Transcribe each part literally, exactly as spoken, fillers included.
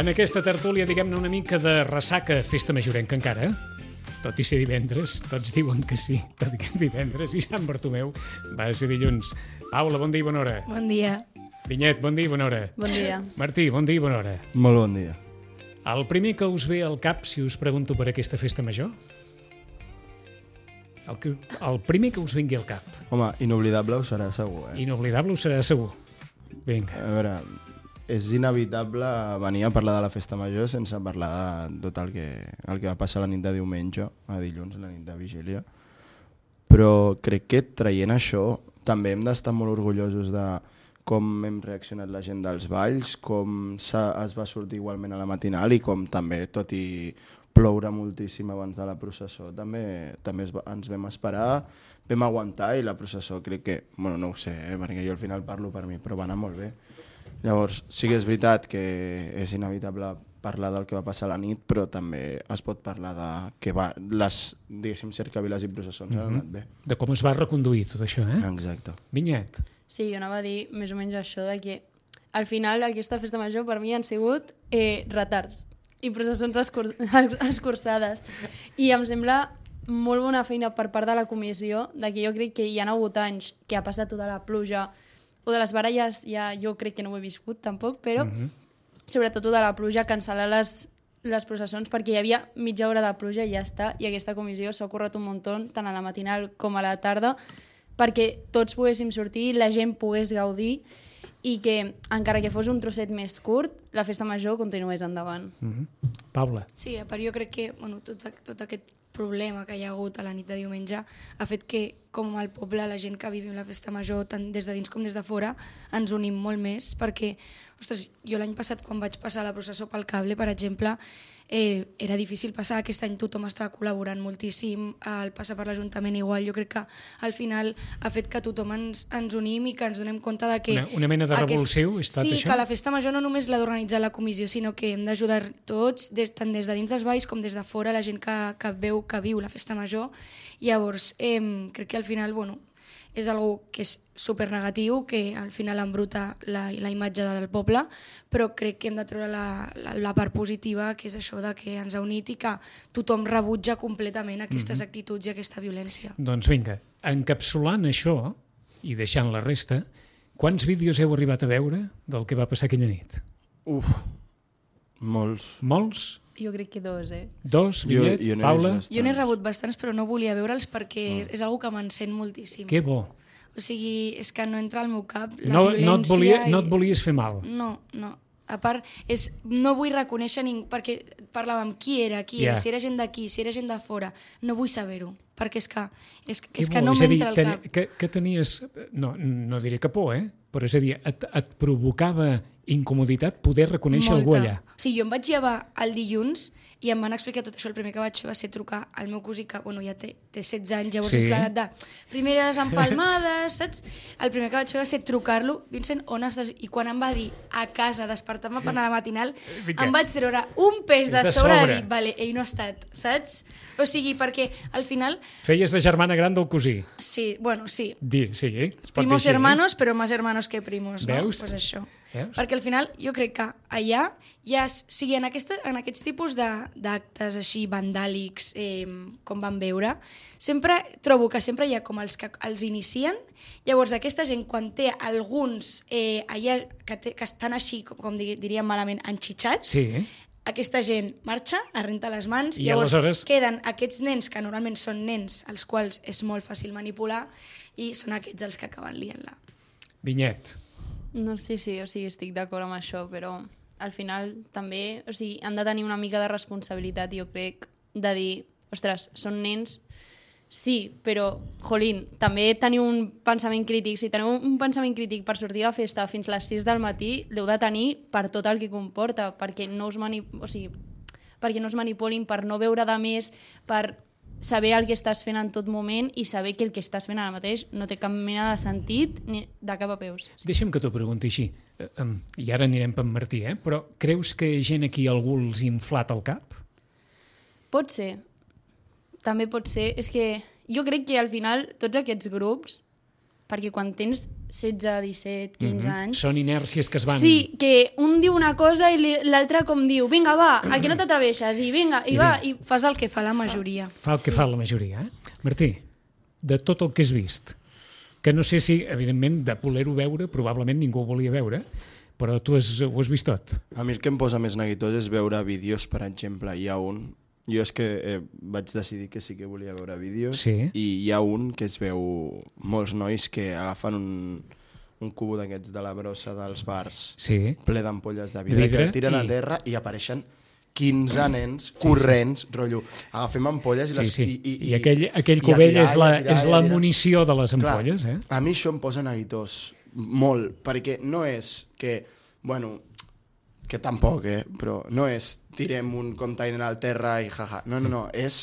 En aquesta tertúlia, diguem-ne, una mica de ressaca festa majorenca encara, tot i ser divendres, tots diuen que sí, tot i que és divendres, i Sant Bartomeu va ser dilluns. Paula, bon dia i bona hora. Bon dia. Vinyet, bon dia i bona hora. Bon dia. Martí, bon dia i bona hora. Molt bon dia. El primer que us ve al cap si us pregunto per aquesta festa major? El, que, el primer que us vingui al cap. Home, inoblidable ho serà segur, eh? Inoblidable ho serà segur. Vinga. A veure, és inevitable venir a parlar de la festa major sense parlar de tot el que, el que va passar la nit de diumenge, a dilluns, la nit de vigília. Però crec que traient això també hem d'estar molt orgullosos de com hem reaccionat la gent dels balls, com es va sortir igualment a la matinal i com també, tot i ploure moltíssim abans de la processó, també, també es va, ens vam esperar, vam aguantar i la processó crec que, bueno, no ho sé, eh, perquè jo al final parlo per mi, però va anar molt bé. Llavors, sí que és veritat que és inevitable parlar del que va passar a la nit, però també es pot parlar de que va, les, diguéssim, cercaviles i processons mm-hmm. han anat bé. De com es va reconduir tot això, eh? Exacte. Vinyet. Sí, jo anava a dir més o menys això, de que al final aquesta festa major per mi han sigut eh, retards i processons escur escurçades. I em sembla molt bona feina per part de la comissió, de que jo crec que hi ha hagut anys que ha passat tota la pluja, o de les baralles ja jo crec que no ho he viscut tampoc, però mm-hmm. sobretot de la pluja, cancel·lar les, les processons, perquè hi havia mitja hora de pluja i ja està, i aquesta comissió s'ha currat un muntó, tant a la matinal com a la tarda, perquè tots poguéssim sortir, la gent pogués gaudir, i que, encara que fos un trosset més curt, la festa major continués endavant. Mm-hmm. Paula. Sí, a part jo crec que bueno, tot, tot aquest problema que hi ha hagut a la nit de diumenge ha fet que, com al poble, la gent que vivim la festa major, tant des de dins com des de fora, ens unim molt més, perquè, ostres, jo l'any passat, quan vaig passar la processó pel cable, per exemple, eh, era difícil passar, aquest any tothom estava col·laborant moltíssim, el passar per l'Ajuntament igual, jo crec que al final ha fet que tothom ens, ens unim i que ens donem compte de que... Una, una mena de revulsiu, ha estat sí, això? Sí, que la festa major no només l'ha d'organitzar la comissió, sinó que hem d'ajudar tots, des, tant des de dins dels balls com des de fora, la gent que, que veu, que viu la festa major. Llavors, eh, crec que al final, bueno, és algo que és supernegatiu, que al final embruta la, la imatge del poble, però crec que hem de treure la, la, la part positiva, que és això de que ens ha unit i que tothom rebutja completament aquestes mm-hmm. actituds i aquesta violència. Doncs vinga, encapsulant això i deixant la resta, quants vídeos heu arribat a veure del que va passar aquella nit? Uf, molts. Molts? Jo crec que dos, eh? Dos, Vinyet, jo, jo Paula? Jo n'he rebut bastants, però no volia veure'ls perquè Oh. és, és una que m'encén moltíssim. Que bo. O sigui, és que no entra al meu cap la No, violència... no, et volia, i... no et volies fer mal. No, no. A part, és, no vull reconèixer ningú, perquè parlàvem qui era, qui Yeah. era, si era gent d'aquí, si era gent de fora. No vull saber-ho, perquè és que, és, Que és que bo. no És a dir, m'entra al ten, cap. que, que tenies, no, no diré que por, eh? Però és a dir, et, et provocava incomoditat poder reconèixer algú allà. O sigui, jo em vaig llevar el dilluns i em van explicar tot això. El primer que vaig fer va ser trucar al meu cosí, que bueno, ja té, té setze anys, llavors Sí. és l'edat de primeres empalmades, saps? El primer que vaig fer va ser trucar-lo, Vincent, on estàs? I quan em va dir a casa, despertar-me per anar a la matinal, Vinga. em vaig treure un pes de, De sobre sobre. de dir, vale, ell no ha estat, saps? O sigui, perquè al final, Feies de germana gran del cosí. sí, bueno, sí, Di, sí, eh? Es pot dir primos així, eh? hermanos, però més hermanos que primos, no? Veus? Pues això. Veus? Perquè al final jo crec que allà ja, sigui, en, aquesta, en aquests tipus de- d'actes així vandàlics eh, com van veure, sempre trobo que sempre hi ha com els que els inicien, llavors aquesta gent quan té alguns eh, allà que, té, que estan així, com, com di- diríem malament, enxitxats, Sí. aquesta gent marxa, es renta les mans, I llavors aleshores- queden aquests nens que normalment són nens als quals és molt fàcil manipular i són aquests els que acaben liant-la. Vinyet. No sé si, o sigui, estic d'acord amb això, però al final també, o sigui, han de tenir una mica de responsabilitat, jo crec, de dir, ostres, són nens, sí, però, jolín, també teniu un pensament crític. Si teniu un pensament crític per sortir de festa fins a les sis del matí, l'heu de tenir per tot el que comporta, perquè no us, mani... o sigui, perquè no us manipulin, per no veure de més, per saber el que estàs fent en tot moment i saber que el que estàs fent ara mateix no té cap mena de sentit ni de cap a peus. Deixa'm que t'ho pregunti així, eh, um, i ara anirem per Martí, eh? Però creus que gent aquí algú els ha inflat el cap? Pot ser. També pot ser. És que jo crec que al final tots aquests grups perquè quan tens setze, disset, quinze Mhm. anys... Són inèrcies que es van... Sí, que un diu una cosa i li- l'altre com diu, vinga, va, a que no t'atreveixes, i vinga, i, I va, vinga. i... Fas el que fa la majoria. Fa el que fa la majoria. Eh? Martí, de tot el que has vist, que no sé si, evidentment, de voler-ho veure, probablement ningú ho volia veure, però tu has, ho has vist tot. A mi el que em posa més neguitós és veure vídeos, per exemple. Hi ha un... Jo és que eh, vaig decidir que sí que volia veure vídeos Sí. i hi ha un que es veu molts nois que agafen un, un cubo d'aquests de la brossa dels bars Sí. ple d'ampolles de vidre, Vidre que el tiren i- a terra i apareixen quinze nens corrents, rotllo, agafem ampolles i Sí, les... sí. I, i, I aquell, aquell i a cubell tirar, és i a la, tirar, és i a la tirar. munició de les Clar, ampolles, eh? A mi això em posa neguitós, molt, perquè no és que, bueno, que tampoc, eh? Però no és tirem un container al terra i jaja. No, no, no, és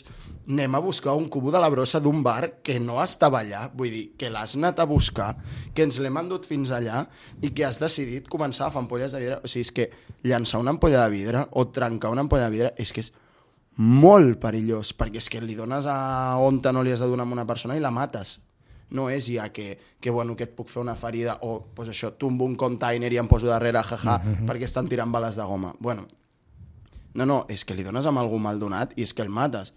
anem a buscar un cubo de la brossa d'un bar que no estava allà, vull dir, que l'has anat a buscar, que ens l'hem endut fins allà i que has decidit començar a fer ampolles de vidre. O sigui, és que llançar una ampolla de vidre o trencar una ampolla de vidre és que és molt perillós, perquè és que li dones a on no li has de donar a una persona i la mates. No és ja que, que, bueno, que et puc fer una ferida o pues això, tombo un container i em poso darrere, jaja, mm-hmm. perquè estan tirant bales de goma. Bueno, no, no, és que li dones amb algú mal donat i és que el mates.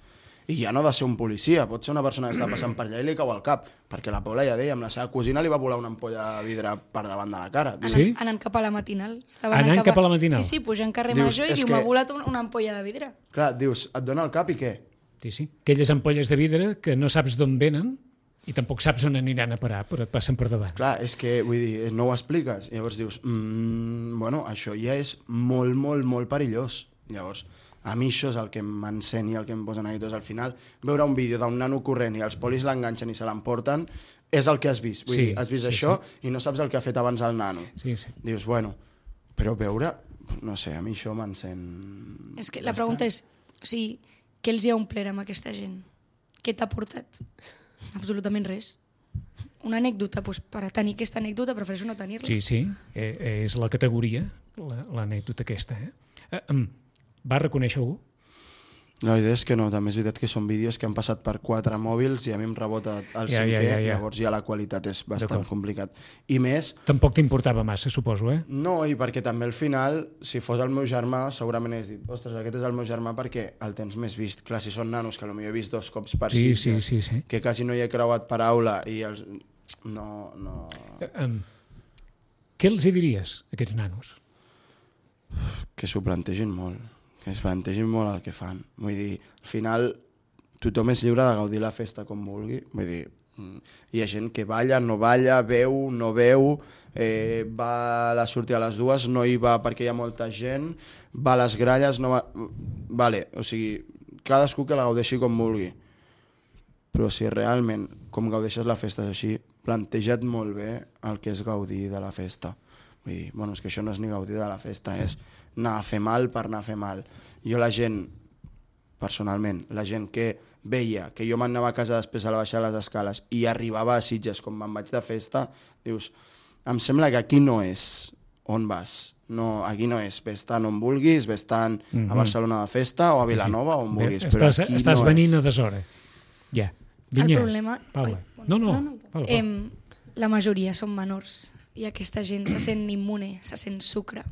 I ja no ha de ser un policia, pot ser una persona que està passant per allà i li cau al cap, perquè la Paula ja deia, amb la seva cosina li va volar una ampolla de vidre per davant de la cara. Anant, Sí? anant cap a la matinal. Estaven Anant cap a la matinal? Sí, sí, pujant carrer Dius, Major i és diu, que- m'ha volat un- una ampolla de vidre. Clar, dius, et dona el cap i què? Sí, sí. Aquelles ampolles de vidre que no saps d'on venen i tampoc saps on aniran a parar, però et passen per davant. Clar, és que, vull dir, no ho expliques. Llavors dius, mmm, bueno, això ja és molt, molt, molt perillós. Llavors, a mi això és el que m'encén i el que em posa neguitós. Al final, veure un vídeo d'un nano corrent i els polis l'enganxen i se l'emporten, és el que has vist. Vull Sí, dir, has vist sí, això i no saps el que ha fet abans el nano. Sí, sí. Dius, bueno, però veure, no sé, a mi això m'encén... És que la pregunta és, o sigui, què els hi ha omplert amb aquesta gent? Què t'ha portat? Absolutament res. Una anècdota, doncs per a tenir aquesta anècdota prefereixo no tenir-la. Sí, sí, eh, és la categoria, la- l'anècdota aquesta. Eh? Eh, em, va reconèixer algú? La idea és que no, també és veritat que són vídeos que han passat per quatre mòbils i a mi em rebota el Ja, ja, cinquè, ja, ja. llavors ja la qualitat és bastant D'acord. complicat. I més, Tampoc t'importava massa, suposo, eh? no, i perquè també al final, si fos el meu germà, segurament hagués dit, ostres, aquest és el meu germà perquè el tens més vist. Clar, si són nanos, que potser he vist dos cops per Sí, Sitges, sí, sí, sí. que quasi no hi he creuat paraula i els... No, no... Eh, em, què els hi diries, a aquests nanos? Que s'ho plantegin molt, que es plantegin molt el que fan. Vull dir, al final tothom és lliure de gaudir la festa com vulgui. Vull dir, mm, hi ha gent que balla, no balla, veu, no veu, eh, va a la sortir a les dues, no hi va perquè hi ha molta gent, va a les gralles, no va... Vale, o sigui, cadascú que la gaudeixi com vulgui. Però si realment, com gaudeixes la festa és així, planteja't molt bé el que és gaudir de la festa. Vull dir, bueno, és que això no és ni gaudir de la festa, és anar a fer mal per anar a fer mal. Jo la gent, personalment, la gent que veia que jo m'anava a casa després a la baixar les escales i arribava a Sitges com me'n vaig de festa, dius, em sembla que aquí no és on vas. No, aquí no és, ves tant on vulguis, ves tant a Barcelona de festa o a Vilanova o on vulguis, Bé, però estàs, aquí estàs no venint és. a deshora. Ja. El Vinya. problema... Paula. Ai, No, no, no, no. Paula, Paula. Em, la majoria són menors i aquesta gent se sent immune, se sent sucre,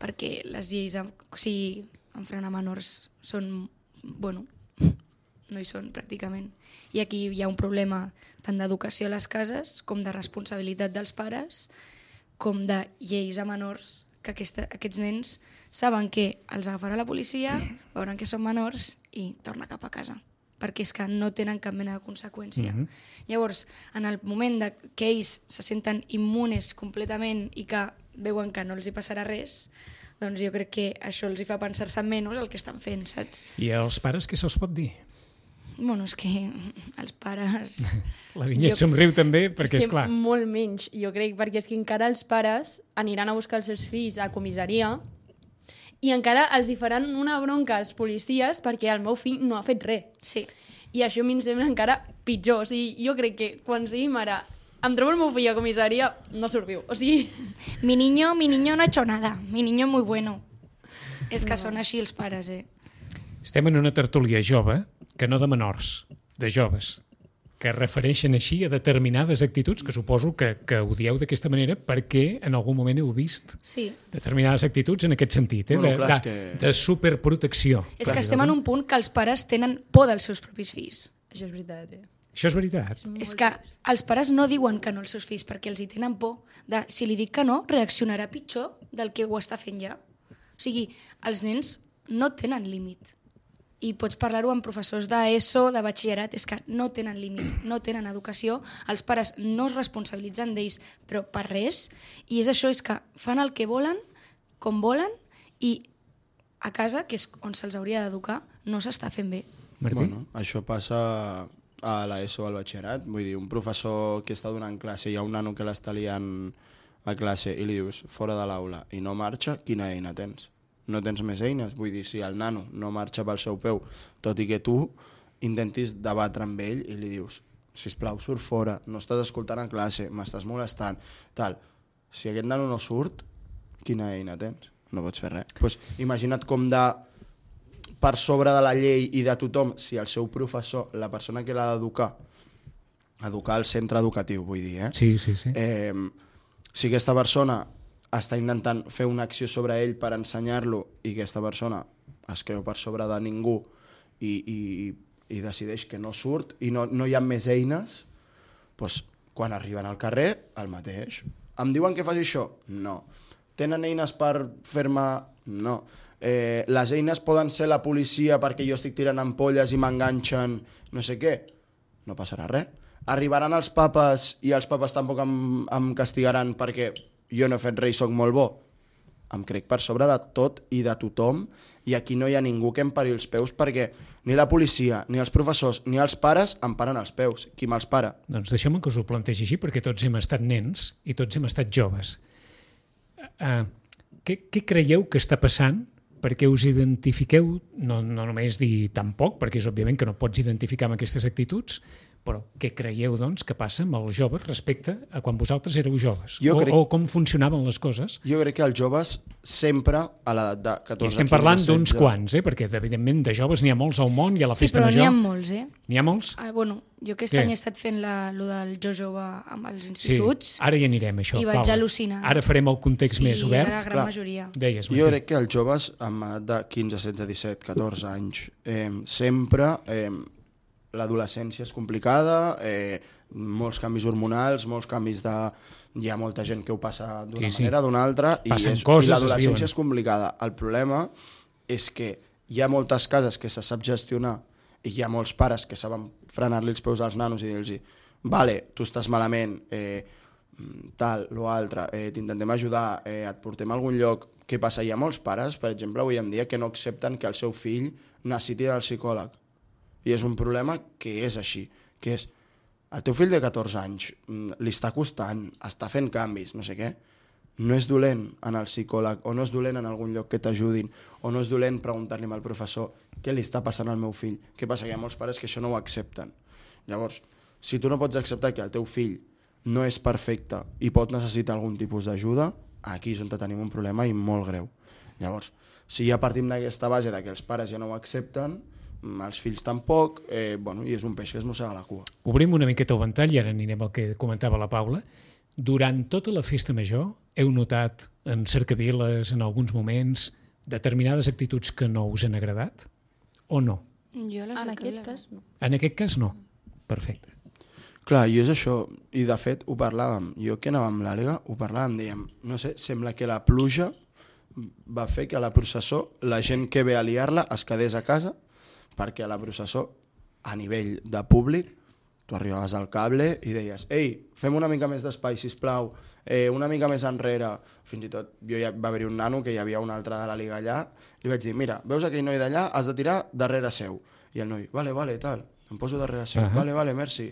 perquè les lleis, en- o sigui, enfront a menors són, bueno, no hi són pràcticament. I aquí hi ha un problema tant d'educació a les cases com de responsabilitat dels pares, com de lleis a menors, que aquesta, aquests nens saben que els agafarà la policia, veuran que són menors i torna cap a casa, perquè és que no tenen cap mena de conseqüència. Mm -hmm. Llavors, en el moment de que ells se senten immunes completament i que veuen que no els hi passarà res, doncs jo crec que això els hi fa pensar-se menys el que estan fent, saps? I als pares què se'ls pot dir? Bueno, és que els pares... La Vinyet Jo- somriu també, perquè, és és que clar, molt menys, jo crec, perquè és que encara els pares aniran a buscar els seus fills a comissaria i encara els hi faran una bronca als policies perquè el meu fill no ha fet res. Sí. I això a mi em sembla encara pitjor. O sigui, jo crec que quan sigui mare em trobo el meu fill a comissaria, no surt viu. O sigui, Mi niño, mi niño no ha hecho nada. Mi niño muy bueno. És que són així els pares, eh? estem en una tertúlia jove, que no de menors, de joves. que refereixen així a determinades actituds, que suposo que, que ho dieu d'aquesta manera perquè en algun moment heu vist Sí. determinades actituds en aquest sentit, eh? Bueno, de, clar, de, és que- de superprotecció. És que estem en un punt que els pares tenen por dels seus propis fills. Això és veritat, eh? Això és veritat. És que els pares no diuen que no als seus fills perquè els hi tenen por de si li dic que no, reaccionarà pitjor del que ho està fent ja. O sigui, els nens no tenen límit. I pots parlar-ho amb professors d'ESO, de batxillerat, és que no tenen límit, no tenen educació, els pares no es responsabilitzen d'ells, però per res, i és això, és que fan el que volen, com volen, i a casa, que és on se'ls hauria d'educar, no s'està fent bé. Martí? Bueno, això passa a l'ESO o al batxillerat. Vull dir, un professor que està donant classe i hi ha un nano que l'està liant a classe i li dius fora de l'aula i no marxa, quina eina tens? No tens més eines? Vull dir, si el nano no marxa pel seu peu, tot i que tu intentis debatre amb ell i li dius sisplau, surt fora, no estàs escoltant a classe, m'estàs molestant, tal. Si aquest nano no surt, quina eina tens? No pots fer res. Pues, imagina't com de per sobre de la llei i de tothom, si el seu professor, la persona que l'ha d'educar, educar al centre educatiu, vull dir, eh? Sí, sí, sí. Eh, si aquesta persona està intentant fer una acció sobre ell per ensenyar-lo i aquesta persona es creu per sobre de ningú i, i, i decideix que no surt i no, no hi ha més eines, doncs, quan arriben al carrer, el mateix. Em diuen que faci això? No. Tenen eines per fer-me? No. Eh, les eines poden ser la policia perquè jo estic tirant ampolles i m'enganxen no sé què? No passarà res. Arribaran els papes i els papes tampoc em, em castigaran perquè jo no he fet res i soc molt bo. Em crec per sobre de tot i de tothom i aquí no hi ha ningú que em pari els peus perquè ni la policia, ni els professors, ni els pares em paren els peus. Qui me'ls para? Doncs deixeu-me que us ho plantegi així, perquè tots hem estat nens i tots hem estat joves. Uh, què, què creieu que està passant perquè us identifiqueu, no, no només dir tan poc, perquè és òbviament que no pots identificar amb aquestes actituds, però què creieu, doncs, que passa amb els joves respecte a quan vosaltres éreu joves? Jo o, crec- o com funcionaven les coses? Jo crec que els joves sempre a l'edat de catorze, I estem quinze, parlant d'uns setze. quants, eh? Perquè evidentment de joves n'hi ha molts al món i a la Sí, festa però n'hi major. ha molts, eh? N'hi ha molts? Ah, bueno, jo aquest Què? any he estat fent la, lo del Jo Jove amb els Sí, instituts. ara hi anirem, això. I vaig Paula. al·lucinar. Ara farem el context més Sí, obert. era la gran Clar. majoria. Deies, Jo Martí. crec que els joves amb edat de quinze, setze, disset, catorze anys eh, sempre eh, l'adolescència és complicada, eh, molts canvis hormonals, molts canvis de... Hi ha molta gent que ho passa d'una Sí, sí. manera, d'una altra, i, Passen és, coses, i es l'adolescència viuen. és complicada. El problema és que hi ha moltes cases que se sap gestionar i hi ha molts pares que saben frenar-li els peus als nanos i dir-los vale, tu estàs malament, eh, tal, lo altre, eh, t'intentem ajudar, eh, et portem a algun lloc. Què passa? Hi ha molts pares, per exemple, avui en dia, que no accepten que el seu fill necessiti del psicòleg. I és un problema que és així, que és el teu fill de catorze anys mm, li està costant, està fent canvis, no sé què, no és dolent anar al psicòleg o no és dolent en algun lloc que t'ajudin o no és dolent preguntar-li al professor què li està passant al meu fill. Què passa? Que hi ha molts pares que això no ho accepten. Llavors, si tu no pots acceptar que el teu fill no és perfecte i pot necessitar algun tipus d'ajuda, aquí és on tenim un problema i molt greu. Llavors, si ja partim d'aquesta base de que els pares ja no ho accepten, els fills tampoc, eh, bueno, i és un peix que es mossega la cua. Obrim una miqueta el ventall i ara anirem al que comentava la Paula. Durant tota la festa major heu notat en cercaviles, en alguns moments, determinades actituds que no us han agradat? O no? Jo la En cercavila aquest no. cas, no. En aquest cas, no. Perfecte. Clar, i és això, i de fet ho parlàvem, jo que anava amb l'Àliga, ho parlàvem, dèiem, no sé, sembla que la pluja va fer que a la processó la gent que ve a liar-la es quedés a casa, perquè a la processó, a nivell de públic, tu arribaves al cable i deies, ei, fem una mica més d'espai, sisplau, eh, una mica més enrere. Fins i tot jo ja va haver-hi un nano que hi havia un altre de la Liga allà, li vaig dir, mira, veus aquell noi d'allà, has de tirar darrere seu. I el noi, vale, vale, tal, em poso darrere seu, Uh-huh. vale, vale, merci.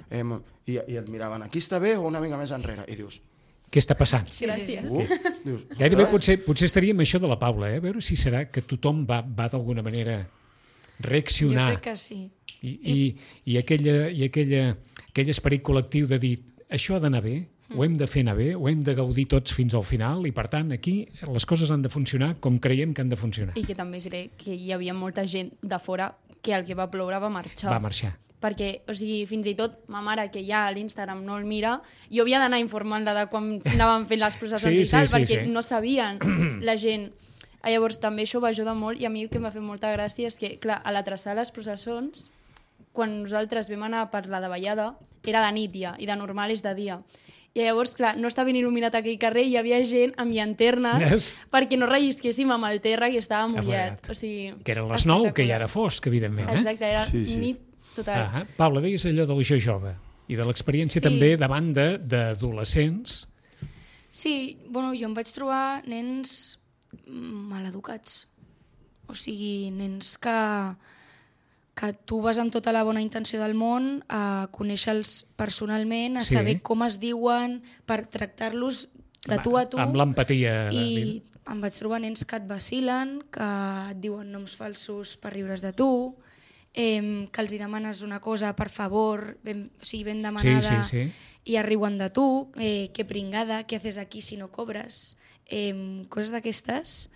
Eh, i, I et miraven, aquí està bé o una mica més enrere? I dius, Què està passant? Sí, sí, sí. uh, dius, Gairebé potser, potser estaríem això de la Paula, eh? A veure si serà que tothom va, va d'alguna manera Jo reaccionar. crec que sí. I, i, i, aquella, i aquella, aquell esperit col·lectiu de dir això ha d'anar bé, ho hem de fer anar bé, ho hem de gaudir tots fins al final i per tant aquí les coses han de funcionar com creiem que han de funcionar. I que també crec que hi havia molta gent de fora que el que va ploure va marxar. Va marxar. perquè, o sigui, fins i tot ma mare, que ja a l'Instagram no el mira, jo havia d'anar informant-la de quan anaven fent les processons Sí, i tal, sí, sí, perquè sí. no sabien la gent. Llavors també això va ajudar molt, i a mi el que m'ha fet molta gràcia és que, clar, a la traçada de les processons, quan nosaltres vam anar per la davallada, era de nit ja, i de normal és de dia. I llavors, clar, no estava ben il·luminat aquell carrer i hi havia gent amb llanternes Yes. perquè no rellisquéssim amb el terra que estava mullat. Mullat. O sigui, Que eren les nou, que ja espectacular. era fosc, evidentment. Eh? Exacte, era Sí, sí. nit total. Ah, Paula, deies allò del jo jove i de l'experiència Sí. també davant de- d'adolescents. Sí, bueno, jo em vaig trobar nens maleducats. O sigui, nens que, que tu vas amb tota la bona intenció del món a conèixer-los personalment, a Sí. saber com es diuen, per tractar-los de tu a tu. Amb l'empatia. I em vaig trobar nens que et vacilen, que et diuen noms falsos per riure's de tu, eh, que els hi demanes una cosa, per favor, ben, o sigui, ben demanada, Sí, sí, sí. i es riuen de tu, eh, que pringada, què haces aquí si no cobres, eh, coses d'aquestes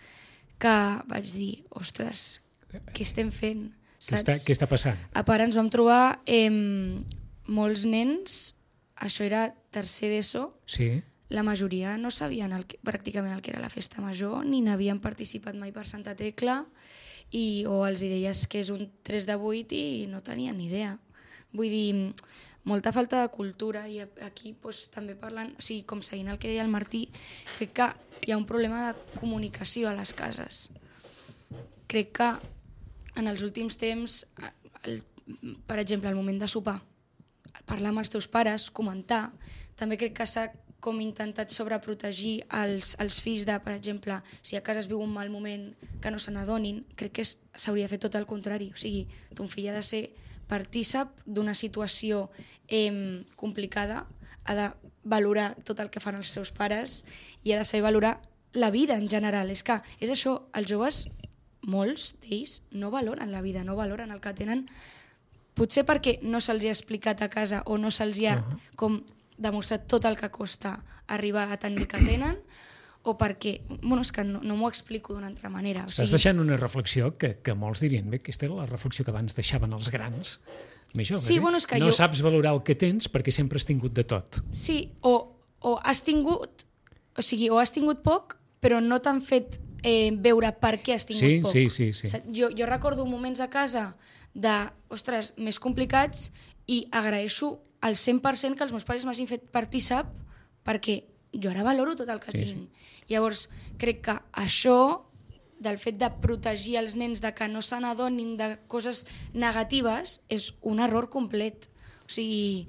que vaig dir, ostres, què estem fent? Què està, què està passant? A part ens vam trobar eh, molts nens, això era tercer d'ESO, Sí. la majoria no sabien el que, pràcticament el que era la festa major, ni n'havien participat mai per Santa Tecla, i, o els hi deies que és un tres de vuit i no tenien ni idea. Vull dir, molta falta de cultura, i aquí doncs, també parlant, o sigui, com seguint el que deia el Martí, crec que hi ha un problema de comunicació a les cases. Crec que en els últims temps, el, per exemple, al moment de sopar, parlar amb els teus pares, comentar, també crec que s'ha com intentat sobreprotegir els, els fills de, per exemple, si a casa es viu un mal moment que no se n'adonin, crec que s'hauria de fer tot el contrari. O sigui, ton fill ha de ser partícip d'una situació eh, complicada, ha de valorar tot el que fan els seus pares i ha de saber valorar la vida en general. És que és això, els joves, molts d'ells, no valoren la vida, no valoren el que tenen, potser perquè no se'ls ha explicat a casa o no se'ls ha Uh-huh. com demostrat tot el que costa arribar a tenir el que tenen, o perquè, bueno, és que no, no m'ho explico d'una altra manera. O Estàs deixant una reflexió que, que molts dirien, bé, aquesta era la reflexió que abans deixaven els grans, més joves, Sí, eh? bueno, és que no jo- saps valorar el que tens perquè sempre has tingut de tot. Sí, o, o has tingut, o sigui, o has tingut poc, però no t'han fet eh, veure per què has tingut Sí, poc. sí, sí, sí. Sa- Jo, jo recordo moments a casa de, ostres, més complicats, i agraeixo al cent per cent que els meus pares m'hagin fet partícip, perquè jo ara valoro tot el que Sí, tinc. Llavors, crec que això, del fet de protegir els nens de que no se n'adonin de coses negatives, és un error complet. O sigui,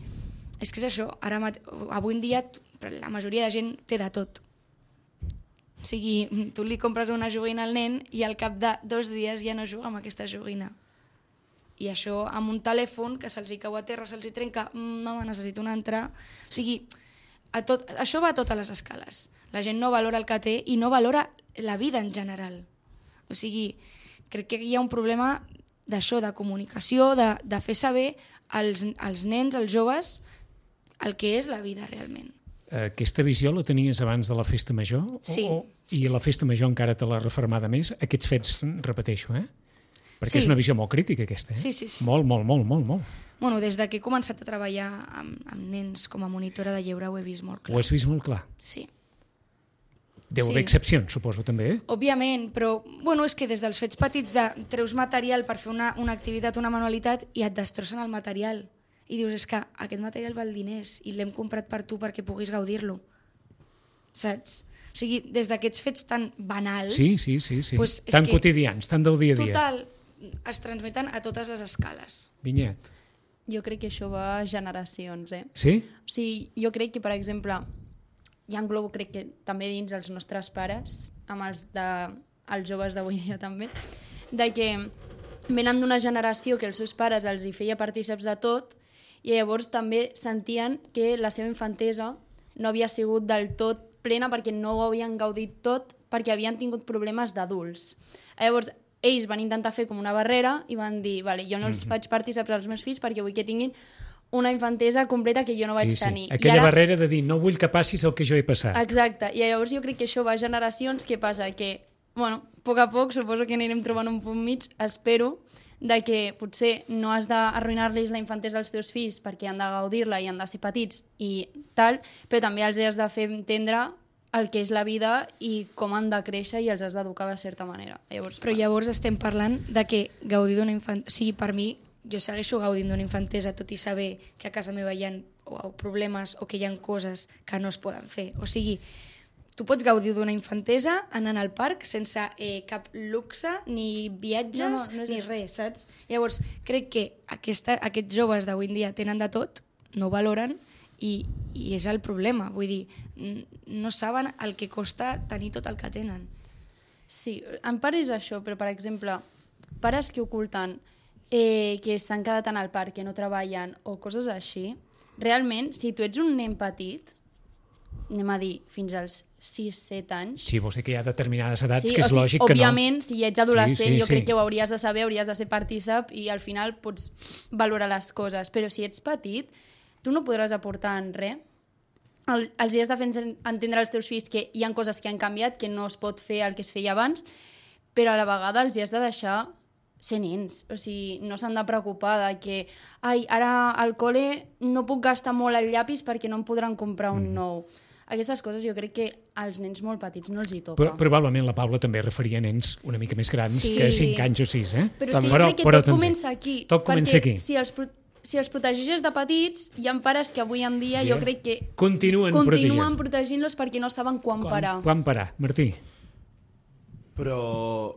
és que és això, ara mate... avui en dia la majoria de gent té de tot. O sigui, tu li compres una joguina al nen i al cap de dos dies ja no juga amb aquesta joguina. I això amb un telèfon que se'ls hi cau a terra, se'ls hi trenca, mm, mama, necessito una altra... O sigui, a tot, això va a totes les escales. La gent no valora el que té i no valora la vida en general. O sigui, crec que hi ha un problema d'això, de comunicació, de, de fer saber als, als nens, als joves, el que és la vida realment. Aquesta visió la tenies abans de la festa major? Sí. O, Sí, I sí. la festa major encara te l'ha refermada més? Aquests fets, repeteixo, eh? Perquè Sí. és una visió molt crítica, aquesta, eh? Sí, sí, sí. Molt, molt, molt, molt, molt. Bueno, des de que he començat a treballar amb, amb nens com a monitora de lleure ho he vist molt clar. Ho has vist molt clar. Sí. Deu Sí. haver excepcions, suposo, també, eh? Òbviament, però bueno, és que des dels fets petits de treus material per fer una, una activitat, una manualitat, i et destrossen el material. I dius, és que aquest material val diners i l'hem comprat per tu perquè puguis gaudir-lo. Saps? O sigui, des d'aquests fets tan banals... Sí, sí, sí, sí. Pues és tan que, quotidians, tan del dia a dia. Total, es transmeten a totes les escales. Vinyet. Jo crec que això va a generacions, eh? Sí? O sigui, jo crec que, per exemple, ja englobo, crec que també dins els nostres pares, amb els, de, els joves d'avui dia també, de que venen d'una generació que els seus pares els hi feia partíceps de tot i llavors també sentien que la seva infantesa no havia sigut del tot plena perquè no ho havien gaudit tot perquè havien tingut problemes d'adults. Llavors, ells van intentar fer com una barrera i van dir, vale, jo no els faig partíceps als meus fills perquè vull que tinguin una infantesa completa que jo no vaig Sí, sí. tenir. I Aquella ara- barrera de dir, no vull que passis el que jo he passat. Exacte, i llavors jo crec que això va a generacions. Què passa? Que, bueno, a poc a poc suposo que anirem trobant un punt mig, espero, de que potser no has d'arruïnar-los la infantesa als teus fills perquè han de gaudir-la i han de ser petits i tal, però també els has de fer entendre el que és la vida i com han de créixer i els has d'educar de certa manera. Llavors, Però llavors estem parlant de que gaudir d'una infantesa... O sigui, per mi, jo segueixo gaudint d'una infantesa tot i saber que a casa meva hi ha o problemes o que hi ha coses que no es poden fer. O sigui, tu pots gaudir d'una infantesa anant al parc sense eh, cap luxe, ni viatges, no, no, no és ni això. res, saps? Llavors, crec que aquesta, aquests joves d'avui en dia tenen de tot, no ho valoren, i, i és el problema. Vull dir, n- no saben el que costa tenir tot el que tenen. sí, en part és això, però per exemple, pares que oculten eh, que s'han quedat en el parc, que no treballen o coses així, realment, si tu ets un nen petit, anem a dir, fins als sis set anys... Sí, vols dir que hi ha determinades edats sí, que és o sigui, lògic que no. òbviament, si ets adolescent, Sí, sí, jo sí. crec que ho hauries de saber, hauries de ser partícip i al final pots valorar les coses. Però si ets petit, tu no podràs aportar en res. El, els has de fer entendre als teus fills que hi ha coses que han canviat, que no es pot fer el que es feia abans, però a la vegada els has de deixar ser nens. O sigui, no s'han de preocupar de que ai, ara al col·le no puc gastar molt el llapis perquè no em podran comprar un nou. Aquestes coses jo crec que als nens molt petits no els hi toca. Però, probablement la Paula també referia a nens una mica més grans Sí. que cinc anys o sis, eh? Però és que jo Però- crec que però tot també. comença aquí. Tot comença perquè aquí. Si els, pro- si els protegeixes de petits, hi ha pares que avui en dia jo crec que Continuen continuen protegint. protegint-los perquè no saben quan, parar. Quan, quan parar, Martí? Però,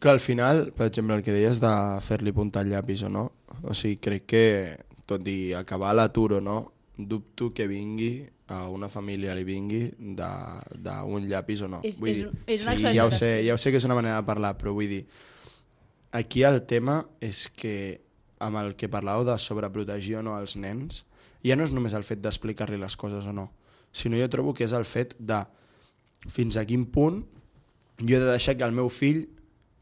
clar, al final, per exemple, el que deies de fer-li puntar el llapis o no, o sigui, crec que, tot i acabar l'atur o no, dubto que vingui a una família li vingui de- d'un llapis o no. És- Vull és dir, un- és una sí, ja ho sé, exageració. ja ho sé que és una manera de parlar, però vull dir, aquí el tema és que amb el que parlàveu de sobreprotegir o no als nens, ja no és només el fet d'explicar-li les coses o no, sinó jo trobo que és el fet de fins a quin punt jo he de deixar que el meu fill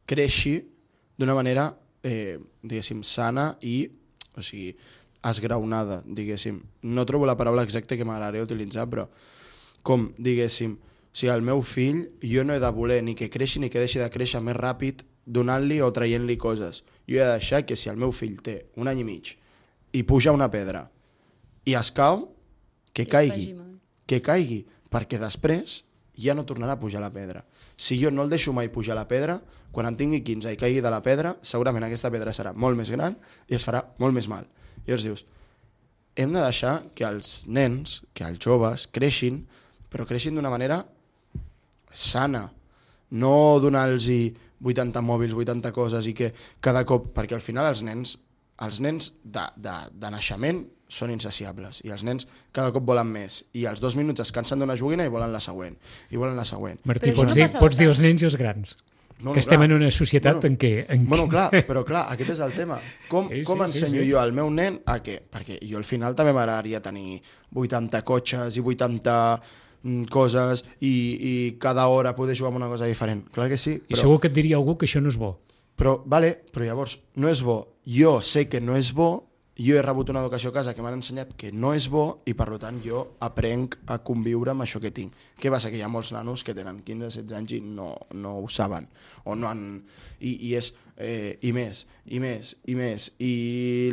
creixi d'una manera, eh, diguéssim, sana i, o sigui, esgraonada, diguéssim. No trobo la paraula exacta que m'agradaria utilitzar, però com, diguéssim, o sigui, el meu fill jo no he de voler ni que creixi ni que deixi de créixer més ràpid donant-li o traient-li coses. Jo he de deixar que si el meu fill té un any i mig i puja una pedra i es cau, que Que es caigui, faci mal. que caigui, perquè després ja no tornarà a pujar la pedra. Si jo no el deixo mai pujar la pedra, quan en tingui quinze i caigui de la pedra, segurament aquesta pedra serà molt més gran i es farà molt més mal. I llavors dius, hem de deixar que els nens, que els joves, creixin, però creixin d'una manera sana, no donar-los vuitanta mòbils, vuitanta coses i que cada cop, perquè al final els nens, els nens de, de, de naixement són insaciables i els nens cada cop volen més i als dos minuts es cansen d'una joguina i volen la següent i volen la següent. Martí, Però això pots, no dir, passa pots dir tant. els nens i els grans. Bueno, que estem clar. en una societat Bueno, en què... En Bueno, què... clar, però clar, aquest és el tema. Com, Sí, sí, com sí, ensenyo sí. jo al meu nen a què? Perquè jo al final també m'agradaria tenir vuitanta cotxes i vuitanta mm, coses i, i cada hora poder jugar amb una cosa diferent. Clar que sí, I però, segur que et diria algú que això no és bo. però, vale, però llavors no és bo. Jo sé que no és bo, jo he rebut una educació a casa que m'han ensenyat que no és bo i per tant jo aprenc a conviure amb això que tinc. Què passa? Que hi ha molts nanos que tenen quinze setze anys i no, no ho saben o no han... I, i és eh, i més, i més, i més i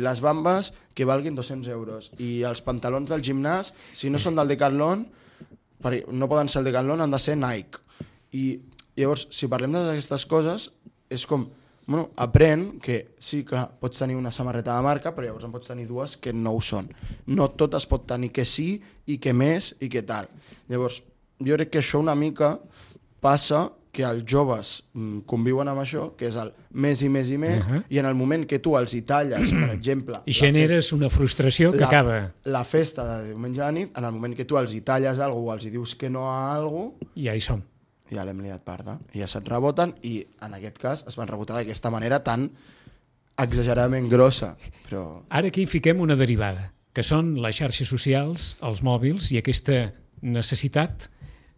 les bambes que valguin dos-cents euros i els pantalons del gimnàs, si no són del Decathlon, per- no poden ser el Decathlon, han de ser Nike. I llavors, si parlem d'aquestes coses, és com... Bueno, aprèn que, sí, clar, pots tenir una samarreta de marca, però llavors en pots tenir dues que no ho són. No tot es pot tenir que sí i que més i que tal. Llavors, jo crec que això una mica passa que els joves mm, conviuen amb això, que és el més i més i més, Uh-huh. i en el moment que tu els hi talles, per exemple... I la generes una frustració que la, acaba... La festa de diumenge a la nit, en el moment que tu els hi talles alguna cosa o els hi dius que no a alguna cosa, Ja hi som. ja l'hem liat parda, i ja se't reboten, i en aquest cas es van rebotar d'aquesta manera tan exageradament grossa. Però Ara aquí fiquem una derivada, que són les xarxes socials, els mòbils i aquesta necessitat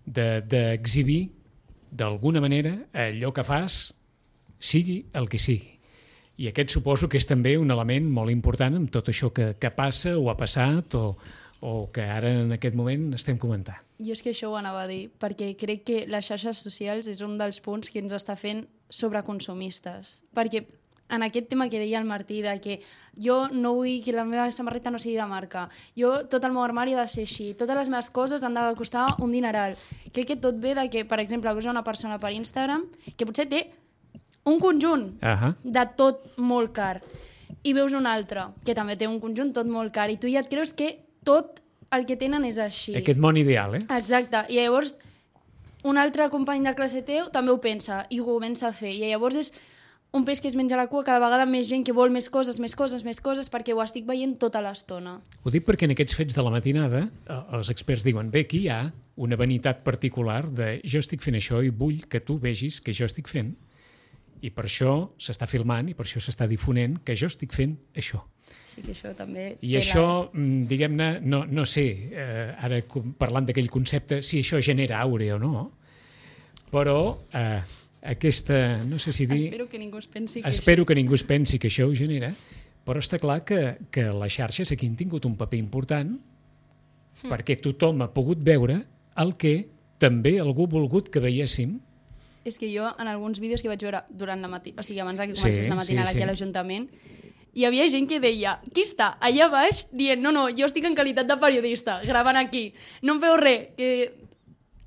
de- d'exhibir de, d'alguna manera allò que fas sigui el que sigui. I aquest suposo que és també un element molt important amb tot això que, que passa o ha passat o, o que ara en aquest moment estem comentant. Jo és que això ho anava a dir, perquè crec que les xarxes socials és un dels punts que ens està fent sobreconsumistes. Perquè en aquest tema que deia el Martí, de que jo no vull que la meva samarreta no sigui de marca, jo tot el meu armari ha de ser així, totes les meves coses han de costar un dineral. Crec que tot ve de que, per exemple, veus una persona per Instagram que potser té un conjunt Ahà. de tot molt car, i veus un altre que també té un conjunt tot molt car, i tu ja et creus que tot el que tenen és així. Aquest món ideal, eh? Exacte, i llavors un altre company de classe teu també ho pensa i ho comença a fer, i llavors és un peix que es menja la cua, cada vegada més gent que vol més coses, més coses, més coses, perquè ho estic veient tota l'estona. Ho dic perquè en aquests fets de la matinada eh, els experts diuen, bé, aquí hi ha una vanitat particular de jo estic fent això i vull que tu vegis que jo estic fent, i per això s'està filmant i per això s'està difonent que jo estic fent això. Sí que això també... I això, mm, diguem-ne, no, no sé, eh, ara com- parlant d'aquell concepte, si això genera aure o no, però eh, aquesta, no sé si dir... Espero que ningú es pensi que... Espero que ningú es pensi que això ho genera, però està clar que, que les xarxes aquí han tingut un paper important mm. perquè tothom ha pogut veure el que també algú ha volgut que veiéssim. És que jo, en alguns vídeos que vaig veure durant la matinada, o sigui, abans que Sí, comencés la matinada sí, aquí sí. a l'Ajuntament, hi havia gent que deia, qui està allà baix dient, no, no, jo estic en qualitat de periodista, gravant aquí, no em feu res, que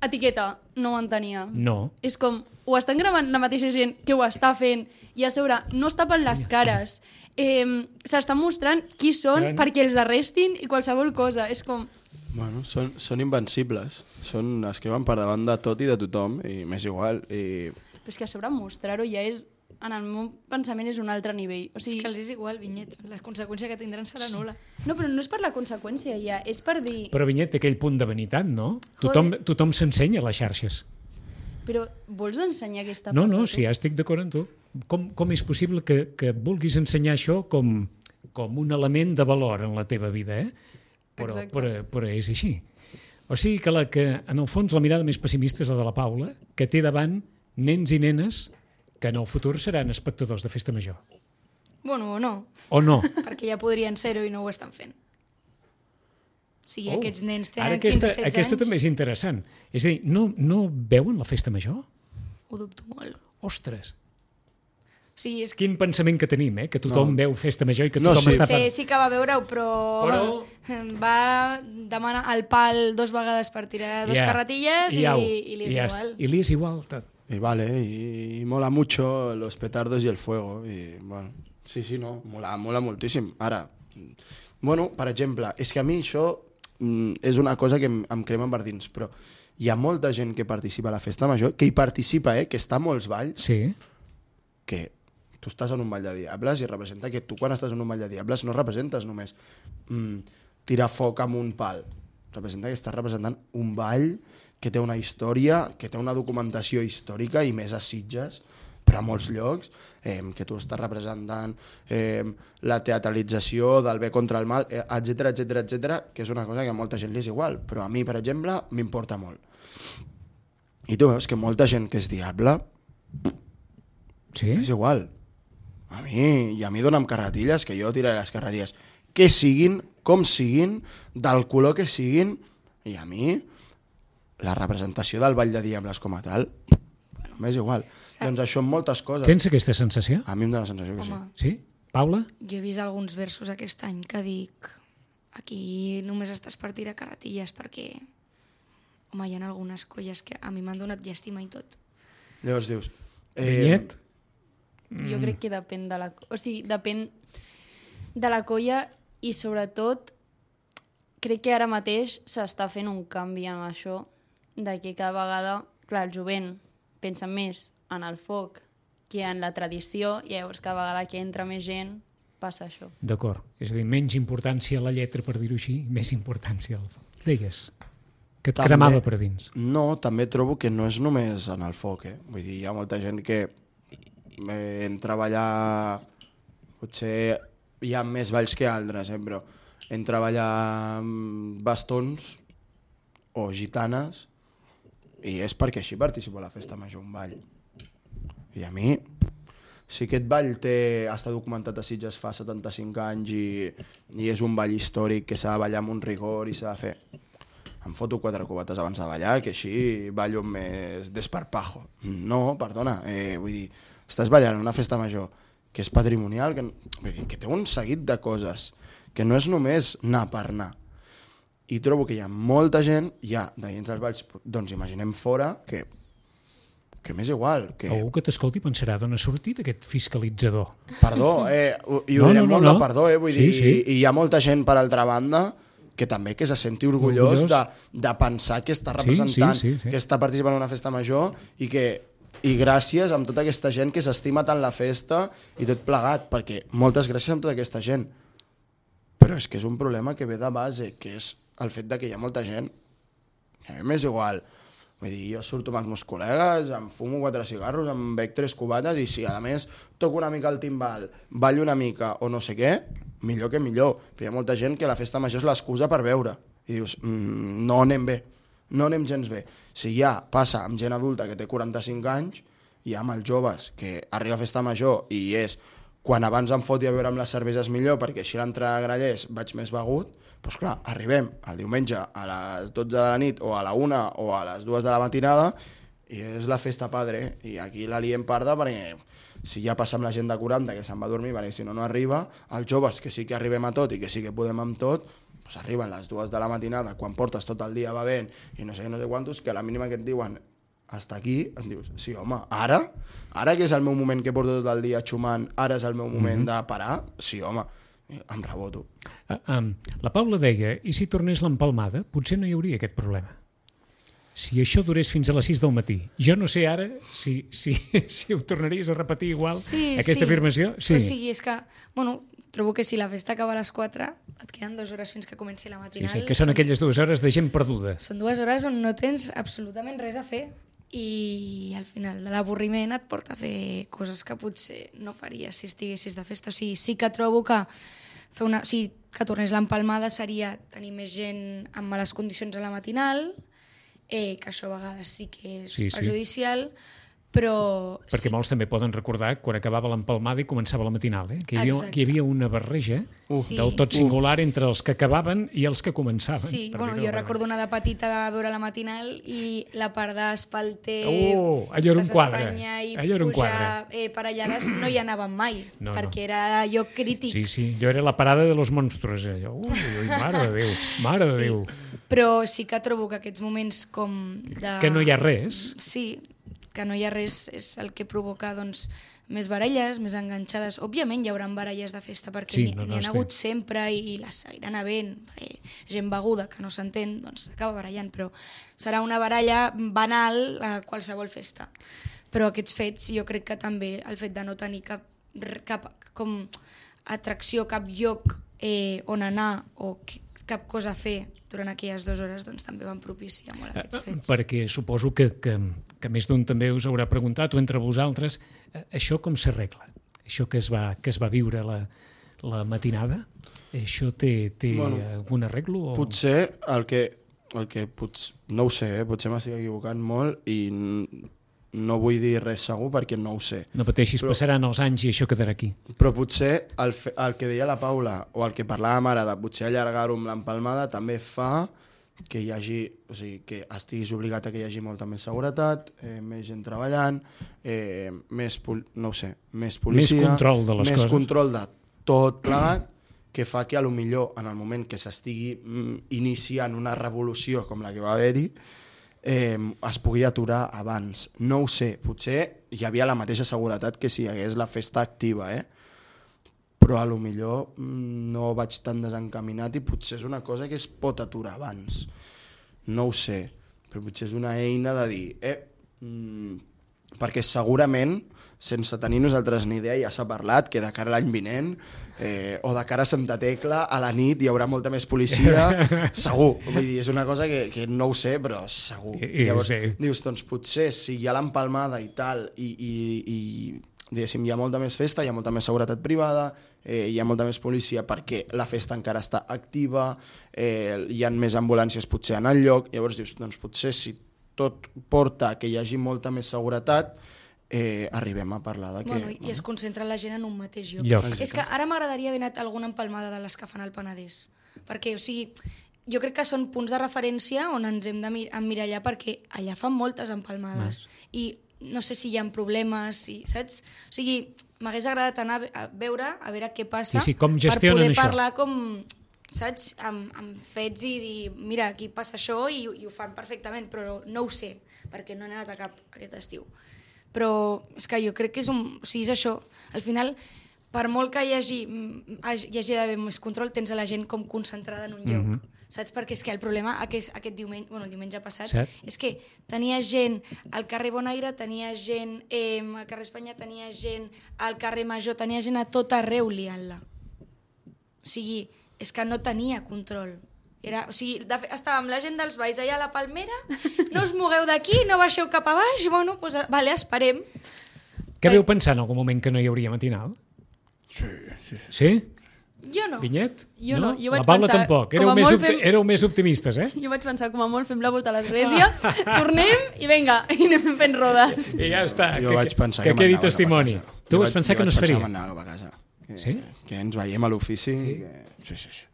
etiqueta, no ho entenia. No. És com, ho estan gravant la mateixa gent que ho està fent, i a sobre no es tapen les cares, eh, s'estan mostrant qui són Clar. perquè els arrestin i qualsevol cosa, és com... Bueno, són, són invencibles. Són, es creuen per davant de tot i de tothom, i m'és igual. I... Però és que a sobre mostrar-ho ja és, en el meu pensament, és un altre nivell. O És sigui, que els és igual, Vinyet. La conseqüència que tindran serà nul·la. no, però no és per la conseqüència ja, és per dir... Però Vinyet té aquell punt de vanitat, no? Tothom, tothom s'ensenya a les xarxes. Però vols ensenyar aquesta No, part? no, de tu? sí, ja estic d'acord amb tu. Com, com és possible que, que vulguis ensenyar això com, com un element de valor en la teva vida, eh? Però, Exacte. però, però és així. O sigui que, la, que, en el fons, la mirada més pessimista és la de la Paula, que té davant nens i nenes que en el futur seran espectadors de festa major. Bueno, o no, O no? perquè ja podrien ser-ho i no ho estan fent. O sigui, Oh, aquests nens ara tenen aquesta, quinze setze aquesta anys. també és interessant. És a dir, no, no veuen la festa major? Ho dubto molt. Ostres, O sigui, és que... quin pensament que tenim, eh? Que tothom No. veu festa major i que No, tothom sí. està... Sí, sí que va veure-ho, però... Però- va demanar el pal dos vegades per tirar dos Ja. carretilles i, au. i li és ja igual. està. I li és igual. Tot. Y vale, y, y mola mucho los petardos y el fuego. Y bueno, sí, sí, no, mola, mola moltíssim. Ara, bueno, per exemple, és que a mi això mm, és una cosa que em, em crema per dins, però hi ha molta gent que participa a la festa major, que hi participa, eh, que està a molts balls, Sí. que tu estàs en un ball de diables i representa que tu quan estàs en un ball de diables no representes només mm, tirar foc amb un pal, representa que estàs representant un ball que té una història, que té una documentació històrica i més a Sitges, però a molts llocs, eh, que tu estàs representant eh, la teatralització del bé contra el mal, eh, etcètera, etcètera, etcètera, que és una cosa que a molta gent li és igual, però a mi, per exemple, m'importa molt. I tu veus que molta gent que és diable Sí? és igual. A mi, i a mi dona'm carretilles, que jo tiraré les carretilles. Que siguin, com siguin, del color que siguin, i a mi, la representació del Ball de Diables com a tal, bueno, m'és igual. Doncs això en moltes coses. Tens aquesta sensació? A mi em dóna la sensació que sí. Home, Sí? Paula? jo he vist alguns versos aquest any que dic aquí només estàs per tirar carretilles perquè home, hi ha algunes colles que a mi m'han donat llàstima i tot. Llavors dius... Vinyet? Jo crec que depèn de la... O sigui, depèn de la colla i sobretot crec que ara mateix s'està fent un canvi amb això de que cada vegada, clar, el jovent pensa més en el foc que en la tradició i llavors cada vegada que entra més gent passa això. D'acord. És a dir, menys importància a la lletra, per dir-ho així, més importància al foc. Digues, que et També- cremava per dins. No, també trobo que no és només en el foc, eh? Vull dir, hi ha molta gent que eh, en treballar... Potser hi ha més balls que altres, eh? Però en treballar amb bastons o gitanes i és perquè així participo a la festa major, un ball. I a mi, si aquest ball té, està documentat a Sitges fa setanta-cinc anys i, i és un ball històric que s'ha de ballar amb un rigor i s'ha de fer... Em foto quatre cubates abans de ballar, que així ballo amb més desparpajo. No, perdona, eh, vull dir, estàs ballant en una festa major que és patrimonial, que, vull dir, que té un seguit de coses, que no és només anar per anar. I trobo que hi ha molta gent, ja de dins dels valls, doncs imaginem fora, que, que m'és igual. Que... Algú que t'escolti pensarà d'on ha sortit aquest fiscalitzador. Perdó, eh, i ho No, direm no, no, molt no. de perdó, eh, vull Sí, dir, sí. i hi ha molta gent per altra banda que també que se senti orgullós, Orgullós. De, de pensar que està representant, sí, sí, sí. que està participant en una festa major i que i gràcies amb tota aquesta gent que s'estima tant la festa i tot plegat, perquè moltes gràcies amb tota aquesta gent. Però és que és un problema que ve de base, que és el fet de que hi ha molta gent que a mi m'és igual. Vull dir, jo surto amb els meus col·legues, em fumo quatre cigarros, em bec tres cubates i si a més toco una mica el timbal, ballo una mica o no sé què, millor que millor. Però hi ha molta gent que la festa major és l'excusa per beure. I dius, mmm, no anem bé, no anem gens bé. Si ja passa amb gent adulta que té quaranta-cinc anys, i amb els joves que arriba a festa major i és quan abans em foti a veure amb les cerveses millor perquè així a l'entrada de Grallers vaig més begut, doncs clar, arribem el diumenge a les dotze de la nit o a la una o a les dues de la matinada i és la festa padre i aquí la liem parda perquè si ja passa amb la gent de quaranta que se'n va a dormir perquè si no no arriba, els joves que sí que arribem a tot i que sí que podem amb tot, doncs arriben les dues de la matinada quan portes tot el dia bevent i no sé què, no sé quantos, que a la mínima que et diuen hasta aquí, em dius, sí home, ara? Ara que és el meu moment que porto tot el dia xumant, ara és el meu moment de parar? Sí home, em reboto. Uh, um, la Paula deia, i si tornés l'empalmada, potser no hi hauria aquest problema. Si això durés fins a les sis del matí. Jo no sé ara si, si, si ho tornaries a repetir igual, Sí, aquesta sí. afirmació. Sí. O sigui, és que, bueno, trobo que si la festa acaba a les quatre, et queden dues hores fins que comenci la Sí, matinal. sí, que són aquelles dues hores de gent perduda. Són dues hores on no tens absolutament res a fer i al final de l'avorriment et porta a fer coses que potser no faries si estiguessis de festa. O sigui, sí que trobo que fer una, o sigui, que tornés l'empalmada seria tenir més gent amb males condicions a la matinal, eh, que això a vegades sí que és Sí, sí. perjudicial, però... Perquè sí. molts també poden recordar quan acabava l'empalmada i començava la matinal, eh? que, hi havia, Exacte. que hi havia una barreja Uh. Sí. del tot singular entre els que acabaven i els que començaven. Sí, per bueno, dir-ho jo d'alguna recordo anar de petita a veure la matinal i la part d'Espalter, Oh, allò era un Plaça quadre. Espanya i Allò era un pujar quadre. eh, per Allades no hi anàvem mai, No, no. perquè era lloc crític. Sí, sí, jo era la parada de los monstruos. Allò. Ui, ui, mare de Déu, mare de Sí. Déu. Però sí que trobo que aquests moments com de... Que no hi ha res. Sí, que no hi ha res és el que provoca doncs, més baralles, més enganxades. Òbviament hi haurà baralles de festa perquè Sí, n'hi no, no, n'hi ha estic- hagut sempre i les seguiran havent. Eh, gent beguda que no s'entén, doncs s'acaba barallant, però serà una baralla banal a qualsevol festa. Però aquests fets, jo crec que també el fet de no tenir cap, cap com atracció, cap lloc eh, on anar o cap cosa a fer durant aquelles dues hores, doncs també van propiciar molt aquests fets. Perquè suposo que, que, que més d'un també us haurà preguntat, o entre vosaltres, eh, això com s'arregla? Això que es va, que es va viure la, la matinada, això té, té Bueno, algun arreglo? O... Potser el que, el que potser, no ho sé, eh? Potser m'estic equivocant molt i n- no vull dir res segur perquè no ho sé. No pateixis, Però- passaran els anys i això quedarà aquí. Però potser el, fe, el que deia la Paula o el que parlàvem ara de potser allargar-ho amb l'empalmada també fa que hi hagi, o sigui, que estiguis obligat a que hi hagi molta més seguretat, eh, més gent treballant, eh, més, pol, no ho sé, més policia, Més control de les més coses. control de tot plegat, que fa que a lo millor en el moment que s'estigui mm, iniciant una revolució com la que va haver-hi, eh, es pugui aturar abans. No ho sé, potser hi havia la mateixa seguretat que si hi hagués la festa activa, eh? Però a lo millor mm, no vaig tan desencaminat i potser és una cosa que es pot aturar abans. No ho sé, però potser és una eina de dir, eh, mm, perquè segurament, sense tenir nosaltres ni idea, ja s'ha parlat que de cara a l'any vinent eh, o de cara a Santa Tecla, a la nit hi haurà molta més policia, segur. Vull dir, és una cosa que, que no ho sé, però segur. I- i Llavors, sí. dius, doncs potser si hi ha l'empalmada i tal, i, i, i diguéssim, hi ha molta més festa, hi ha molta més seguretat privada, eh, hi ha molta més policia perquè la festa encara està activa, eh, hi ha més ambulàncies potser en el lloc, llavors dius, doncs potser si tot porta que hi hagi molta més seguretat, eh, arribem a parlar de que... Bueno, i es concentra la gent en un mateix lloc. Lloc. És que ara m'agradaria haver anat a alguna empalmada de les que fan al Penedès. Perquè, o sigui, jo crec que són punts de referència on ens hem de mir emmirallar perquè allà fan moltes empalmades. I no sé si hi ha problemes, si, saps? O sigui, m'hagués agradat anar a veure, a veure què passa, Sí, sí, com per gestionen poder això. parlar com, saps, amb, amb fets i dir, mira, aquí passa això i, i ho fan perfectament, però no ho sé, perquè no he anat a cap aquest estiu. Però és que jo crec que és un... O sigui, és això. Al final, per molt que hi hagi, hi hagi d'haver més control, tens a la gent com concentrada en un lloc. Mm-hmm. Saps? Perquè és que el problema aquest, aquest diumenge, bueno, el diumenge passat, Cert. és que tenia gent al carrer Bonaire, tenia gent eh, al carrer Espanya, tenia gent al carrer Major, tenia gent a tot arreu liant-la. O sigui, és que no tenia control. Era, o sigui, de, estava amb la gent dels Valls allà a la Palmera, no us mogueu d'aquí, no baixeu cap a baix, bueno, doncs, vale, esperem. Què veu pensar en algun moment que no hi hauria matinal? Sí, sí, sí. Sí? Jo no. Vinyet? Jo no, jo La vaig Paula pensar, tampoc. com Éreu a més, molt opti fem- éreu més optimistes, eh? Jo vaig pensar, com a molt, fem la volta a l'església, tornem i vinga, i anem fent rodes. I ja està. Jo que, vaig pensar que, que, que quedi m'anava testimoni. cap a casa. Tu Jo vas vaig- pensar jo que no vaig es faria? pensar que m'anava cap a casa. Que, Sí? que ens veiem a l'ofici. Sí? Que... sí, sí, sí.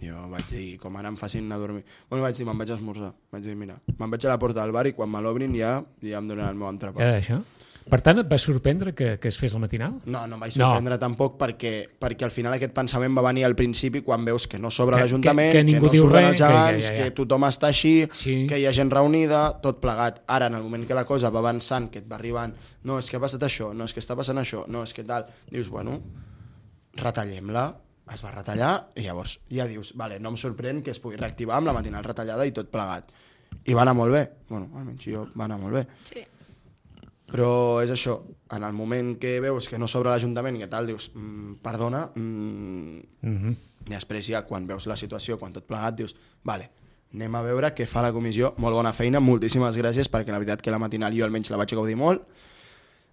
Jo vaig dir, com ara em facin anar a dormir... Bueno, vaig dir, me'n vaig a esmorzar. Vaig dir, mira, me'n vaig a la porta del bar i quan me l'obrin ja, ja em donen el meu entrepà. Ja, això? Per tant, et va sorprendre que, que es fes el matinal? No, no em vaig sorprendre no. tampoc perquè, perquè al final aquest pensament va venir al principi quan veus que no s'obre Que- l'Ajuntament, que- que que, ningú no diu s'obren res, els que ja, gegants, ja, ja. que tothom està així, Sí. que hi ha gent reunida, tot plegat. Ara, en el moment que la cosa va avançant, que et va arribant, no, és que ha passat això, no, és que està passant això, no, és que tal, dius, bueno, retallem-la, es va retallar i llavors ja dius, vale, no em sorprèn que es pugui reactivar amb la matinal retallada i tot plegat. I va anar molt bé, bueno, almenys jo va anar molt bé. Sí. Però és això, en el moment que veus que no s'obre l'Ajuntament i que tal, dius, mm, perdona, mm, Mm-hmm. i després ja quan veus la situació, quan tot plegat, dius, vale, anem a veure què fa la comissió, molt bona feina, moltíssimes gràcies, perquè la veritat que la matinal jo almenys la vaig gaudir molt,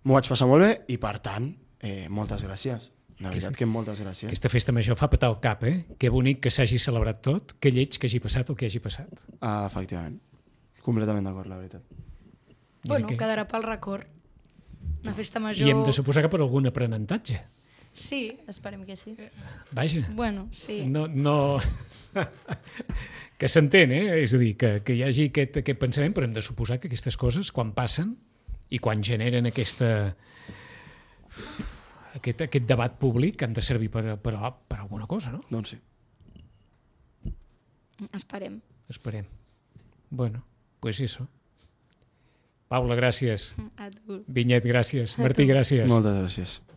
m'ho vaig passar molt bé i per tant, eh, moltes gràcies. La veritat que moltes gràcies. Aquesta festa major fa petar el cap, eh? Que bonic que s'hagi celebrat tot, que lleig que hagi passat el que hagi passat. Ah, efectivament, completament d'acord, la veritat. Bueno, que- quedarà pel record. Una festa major... I hem de suposar que per algun aprenentatge. Sí, Esperem que sí. Vaja. bueno, sí. No, no... que s'entén, eh? És a dir, que, que hi hagi aquest, aquest pensament, però hem de suposar que aquestes coses, quan passen i quan generen aquesta, aquest, aquest debat públic, han de servir per, per, per alguna cosa, no? Doncs sí. Esperem. Esperem. Bueno, pues eso. Paula, gràcies. A tu. Vinyet, gràcies. Martí, gràcies. Moltes gràcies.